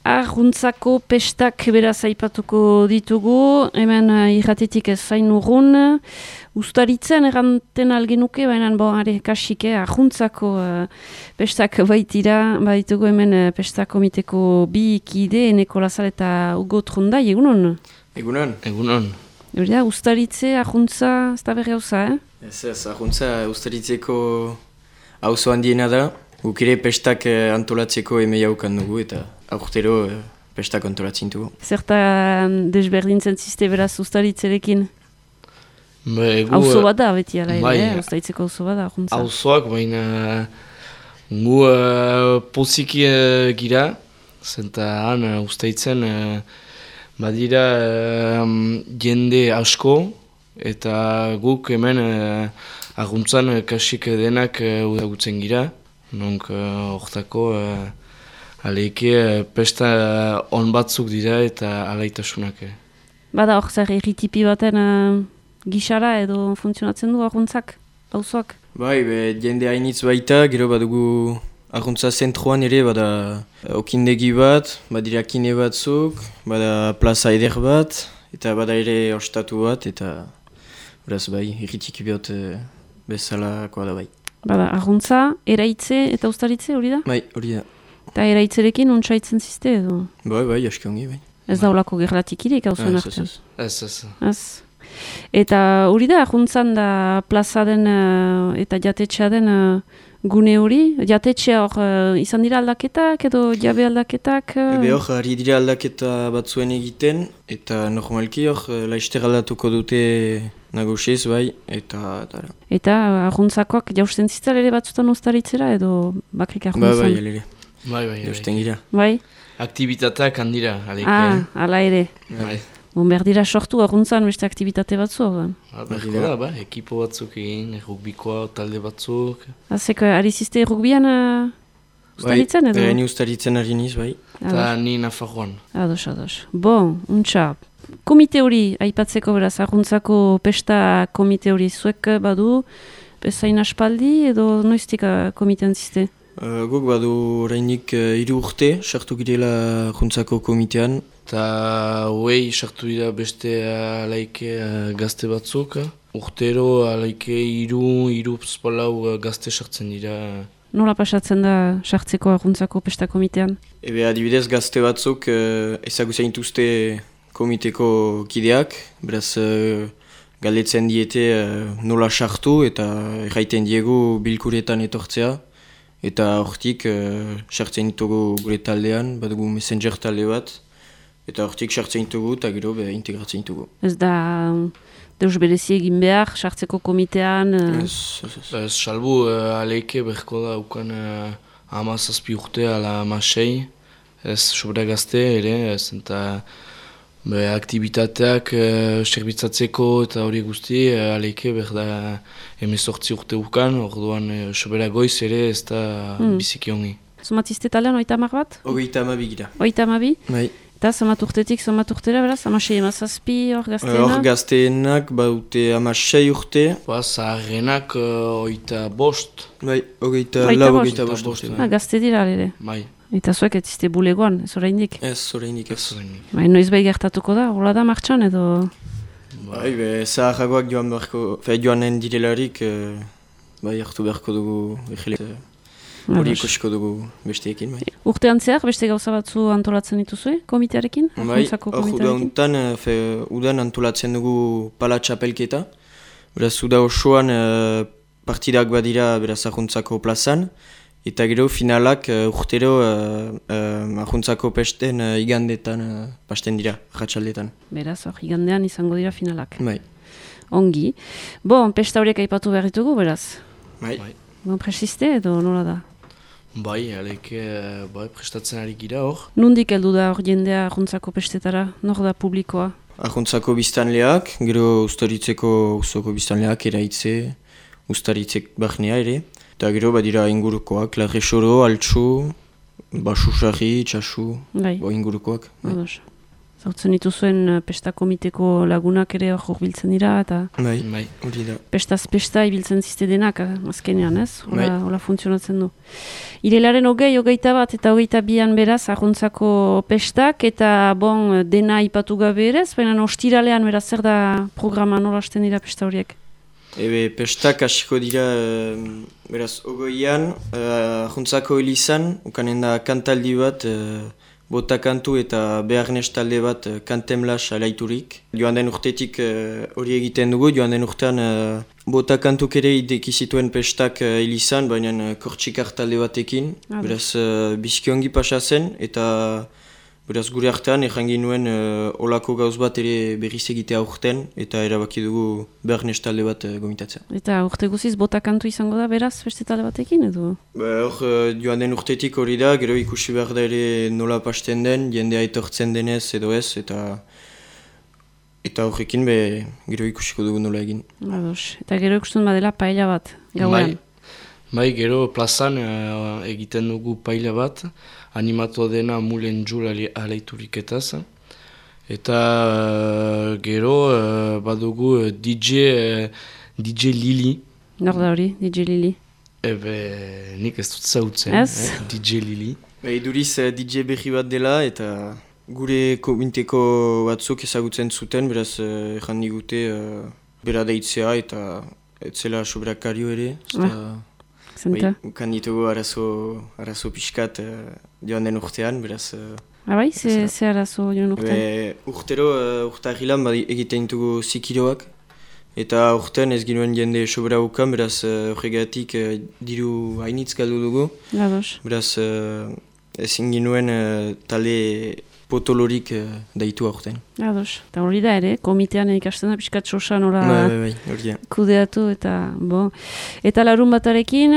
Arruntzako pestak beraz aipatuko ditugu, hemen irratetik ez zain urrun, ustaritzen erranten algenuke, baina kasik, arruntzako pestak baitira, baitugu hemen pestak komiteko bi kide, Eneko Lazar eta Hugo Trondai, egunon? Egunon. Egunon. Euria, ustaritze, arruntza, ez da berri hauza, Ez, arruntza ustaritzeko auzo handiena da, guk ere pestak antolatzeko emei haukan dugu eta aurtero pestak antolatzen dugu. Zertan desberdintzen ziste beraz ustaritzerekin? Auzo bat da, beti ala ere, ustaritzeko auzo bat da, arruntza. Auzoak, baina gu poziki gira, zenta han ustaitzen badira jende asko, eta guk hemen arruntzan kasik denak udagutzen gira, nonk hortako aleike pesta on batzuk dira eta alaitasunak. Bada hor zer erritipi baten gixara edo funtzionatzen du arruntzak, auzoak? Bai, jende hainitz baita, gero badugu arruntza zentroan ere, bada okindegi bat, badira kine batzuk, bada plaza eder bat, eta bada ere ostatu bat, eta beraz bai, erritiki behot bezalakoa da bai. Bada, arruntza, eraitze eta ustaritze hori da? Bai, hori da. Eta eraitzerekin untsaitzen ziste edo? Bai, aski ongi, bai. Ez da olako gerlatik irek hau zuen artean? Ez. Eta hori da, arruntzan da plazaden eta jatetxea den gune hori? Jatetxea hor izan dira aldaketak edo jabe aldaketak? Hor, ari dira aldaketa batzuen egiten, eta normalki hor, laizter aldatuko dute nagusiz, bai, eta... Eta arruntzakoak jausten ziztal ere batzutan ustaritzera edo bakrik arruntzan? Bai, alere. Bai. Jausten gira. Bai? Aktibitateak handira, aleike. Ala ere. Bai. Berdira sortu arruntzan beste aktivitate batzu hor. Berko da, ekipo batzuk egin, rugbikoa, talde batzuk. Azek, ari ziste rugbian ustaritzen edo? Bai, ni ustaritzen ari niz, bai. Eta ni Nafarroan. Ados. Bon, untxa. Komite hori, aipatzeko beraz, arruntzako pesta komite hori zuek badu, bezain aspaldi edo noiztik komitean ziste? Guk badu orainik 3 urte, sartu girela arruntzako komitean. Eta huei sartu dira beste alaike gazte batzuk. Urtero alaike 3-4 gazte sartzen dira. Nola pasatzen da sartzeko arruntzako pesta komitean? Adibidez gazte batzuk ezagutzen dituzte komiteko kideak, beraz galdetzen diete nola sartu eta erraiten diegu bilkuretan etortzea. Eta hortik sartzen ditugu gure taldean, badugu messenger talde bat, eta hortik sartzen ditugu eta gero integratzen ditugu. Ez da deus berezi egin behar, sartzeko komitean? Ez, salbu aleike berko da ukan 17 urte ala 16, ez sobra gazte ere, ez eta aktibitateak zerbitzatzeko eta hori guzti, aleike berda 18 urte ukan, orduan sobera goiz ere ez da biziki ongi. Zomatizte talean 30 bat? 32 gira. 32? Bai. Eta zomat urtetik, zomat urtera beraz? 16 hor gazteenak? Hor gazteenak baute 16 urte. Zaharrenak 25. Bai, 25 urte. Gazte dira ere. Bai. Eta zuek ez ziste bulegoan, ez oraindik? Ez, oraindik ez. Bai, noiz bai gertatuko da, hola da martxan edo? Bai, zaharragoak joanen direlarik, bai, hartu beharko dugu hori ikusiko dugu besteekin, bai. Urtean zehar, beste gauza batzu antolatzen dituzue, komitearekin? Bai, udan antolatzen dugu pala txapelketa. Beraz, uda osoan partidak badira beraz arruntzako plazan. Eta gero finalak urtero arruntzako pesten igandetan pasten dira, ratxaldetan. Beraz, igandean izango dira finalak. Bai. Ongi. Bon, pesta horiek aipatu behar ditugu, beraz? Bai. Bon, presiste edo nola da? Bai, aleike prestatzen ari gira hor. Nondik heldu da hor jendea arruntzako pestetara? Nor da publikoa? Arruntzako biztanleak, gero ustaritzeko uzoko biztanleak eraitze, ustaritzek barnea ere. Eta gero badira ingurukoak, Larresoro, Altsu, Basusarri, Itxasu, ingurukoak. Zautzen dituzuen pesta komiteko lagunak ere hor biltzen dira, eta Bai, hori da. pestaz pesta ibiltzen zizte denak, azkenean, ez? Bai. Hola funtzionatzen du. Irelaren 21 eta 22an beraz, ahuntzako pestak, eta bon, dena ipatu gabe ere, baina ostiralean beraz, zer da programa nola hasten dira pesta horiek? Pestak hasiko dira, beraz, 20an, ahuntzako elizan, ukanen da kantaldi bat, bota kantu eta beharnez talde bat kantemlas alaiturik. Joan den urtetik hori egiten dugu, joan den urtean bota kantuk ere ideki zituen pestak elizan, baina kortxikar talde batekin. Beraz, bizkiongi pasa zen, eta beraz gure artean errangin nuen olako gauz bat ere berriz egitea urten, eta erabaki dugu beharnez talde bat gomitatzen. Eta urte guziz bota kantu izango da beraz beste talde batekin edo? Hor joan den urtetik hori da, gero ikusi behar da ere nola pasten den, jendea etortzen denez edo ez, eta horrekin gero ikusiko dugu nola egin. Ados. Eta gero ikusten badela paella bat, gauean. Bai, gero plazan egiten dugu paella bat, animatu dena Mulen Jul alaituriketaz. Eta gero badugu DJ Lili. Nor da hori, DJ Lili? Nik ez dut zautzen, DJ Lili. Iduriz DJ berri bat dela eta gure kominteko batzuk ezagutzen zuten, beraz erran digute bera deitzea eta etzela sobrakario ere. Ukan ditugu arazo pixkat joan den urtean, beraz... Bai, ze arazo joan urtean? Urtero, urtahilan egiten ditugu zikiroak, eta urtean ez ginuen jende sobra ukan, beraz horregatik diru hainitz galdu dugu. Beraz ezin ginuen talde potolorik daitu aurten. Ados, eta hori da ere, komitean ikasten da pixkat sosa nola kudeatu eta bo. Eta larun batarekin,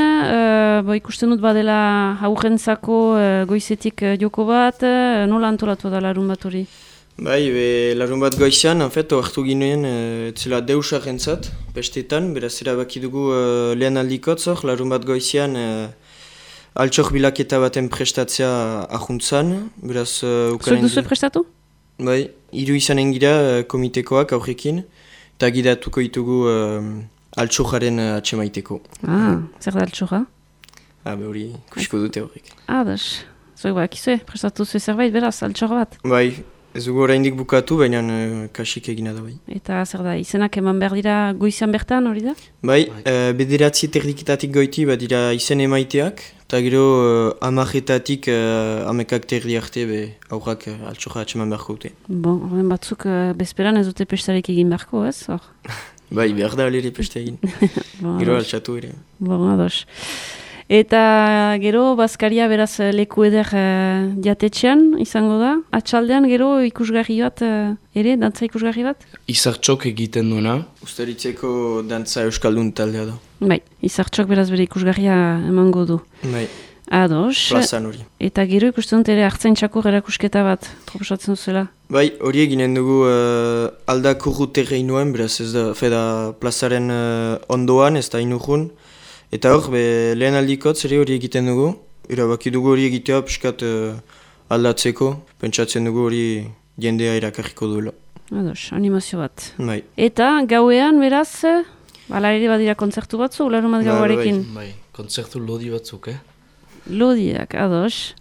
ikusten dut badela aurrentzako goizetik joko bat, nola antolatu da larun bat hori? Larun bat goizean, hartu ginen etzela deusarrentzat, pestetan, beraz erabaki dugu lehen aldikotzor, larun bat goizean altxor bilaketa baten prestatzea ahuntzan, beraz... Zuek duzu prestatu? Bai, 3 izanen gira komitekoak aurrekin, eta gidatuko ditugu altxoraren atxemaiteko. Zer da altxorra? Hori, kusiko dute horrek. Das, zuek bakizue, prestatu zuen zerbait beraz, altxor bat? Bai, ez dugu oraindik bukatu, baina kasik egina da bai. Eta zer da, izenak eman behar dira goizan bertan hori da? Bai, 9 erdiketatik goiti dira izen emaiteak, eta gero 10 amekak terdi arte aurrak altxorra atxeman beharko dute. Horren batzuk bezperan ez dute pestarek egin beharko, ez? Bai, behar da alere pesta egin. Gero altxatu ere. Ados. Eta gero bazkaria beraz leku eder jatetxean izango da. Atxaldean gero ikusgarri bat ere, dantza ikusgarri bat? Izartxok egiten duena. Ustaritzeko dantza euskaldun taldea da. Bai, izartxok beraz bere ikusgarria emango du. Bai. Ados. Plazan hori. Eta gero ikusten dut ere hartzaintzako erakusketa bat proposatzen zuela. Bai, hori eginen dugu aldako terreinuen, beraz ez da, feda plazaren ondoan, ez da inurrun. Eta hor, lehen aldikotz ere hori egiten dugu. Erabaki dugu hori egitea piskat aldatzeko. Pentsatzen dugu hori jendea erakarriko duela. Ados, animazio bat. Bai. Eta gauean beraz, ala ere badira kontzertu batzu, larun bat gauarekin? Bai, kontzertu lodi batzuk, Lodiak, ados.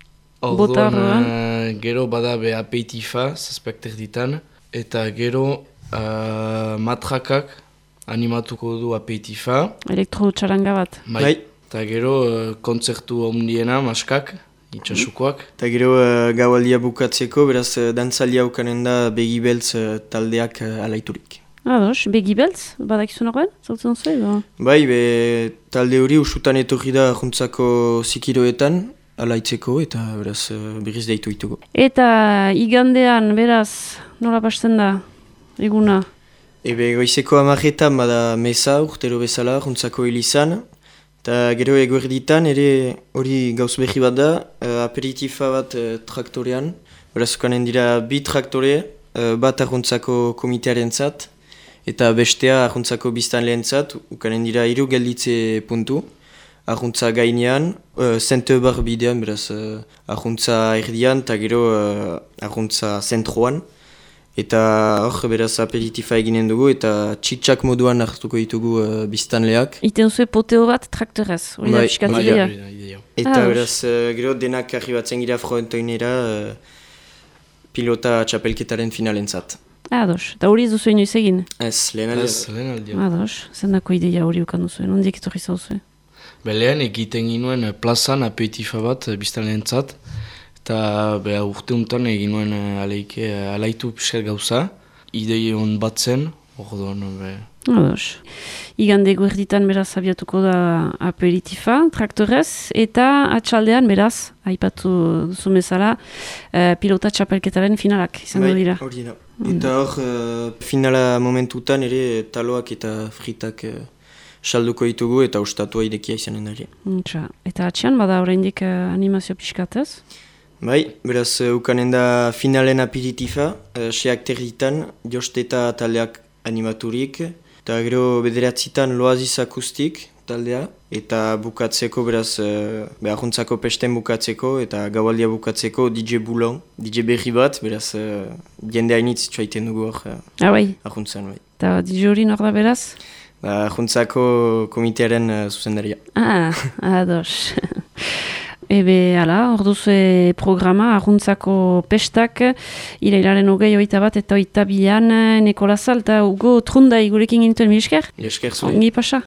Orduan, gero bada apeitifa, zazpekter ditan. Eta gero matrakak, animatuko du apeitifa. Elektro-txaranga bat. Bai. Eta gero kontzertu ondiena, maskak, itxasukoak. Eta gero gaualdia bukatzeko, beraz dantzaldia ukanen da begibeltz taldeak alaiturik. Ados, begibeltz, badakizu norben, zautzen zu edo? Bai, talde hori usutan etorri da juntzako zikiroetan, alaitzeko eta beraz berriz deitu ditugu. Eta igandean, beraz, nola pasten da, eguna? Goizeko 10 bada meza urtero bezala juntzako hilizan, eta gero eguerditan ere hori gauz behi bat da, aperitifa bat traktorean, beraz ukanen dira 2 traktore, bat arruntzako komitearen zat, eta bestea arruntzako biztan lehen zat, ukanen dira 3 gelditze puntu, arruntza gainean, zente bar bidean, beraz arruntza erdian, eta gero arruntza zentroan, Eta hor, beraz aperitifa eginen dugu eta txitsak moduan hartuko ditugu biztanleak. Iten zuen poteo bat traktorez, hori da piskat Bai, idea. Eta beraz, gero denak arribatzen gira frontoinera pilota txapelketaren finalentzat. Ados, eta hori ez duzu inoiz egin? Ez, lehen aldia. Ados, zendako ideia hori ukan duzuen, ondiek etorri zauzue? Lehen egiten ginuen plazan apetifa bat biztanleentzat. Eta urte honetan egin nuen alaitu piskat gauza. Idei hon bat zen, orduan. Ados. Igande guerditan beraz abiatuko da aperitifa, traktorez, eta atxaldean beraz, aipatu duzu bezala, pilota txapelketaren finalak izango dira. Hori da. Eta hor, finala momentutan ere taloak eta fritak salduko ditugu eta ostatua irekia izanen da. Eta atxean bada oraindik animazio pixkatez? Bai, beraz ukanen da finalen aperitifa, seak territan, josteta taldeak animaturik, eta gero bederatzitan loaziz akustik taldea, eta bukatzeko beraz, ahuntzako pesten bukatzeko, eta gaualdia bukatzeko DJ Boulon, DJ berri bat, beraz, jende hainitz txaiten dugu hor ahuntzan. Bai. Eta DJ hori nor da beraz? Ahuntzako komitearen zuzendaria. Ados. Ebe, ala, orduzue programa, ahuntzako pestak, irailaren 21 eta 22 Nikola Zalta, Ugo Trundai gurekin gintuen, mi esker? Esker zuen. Ongi pasa.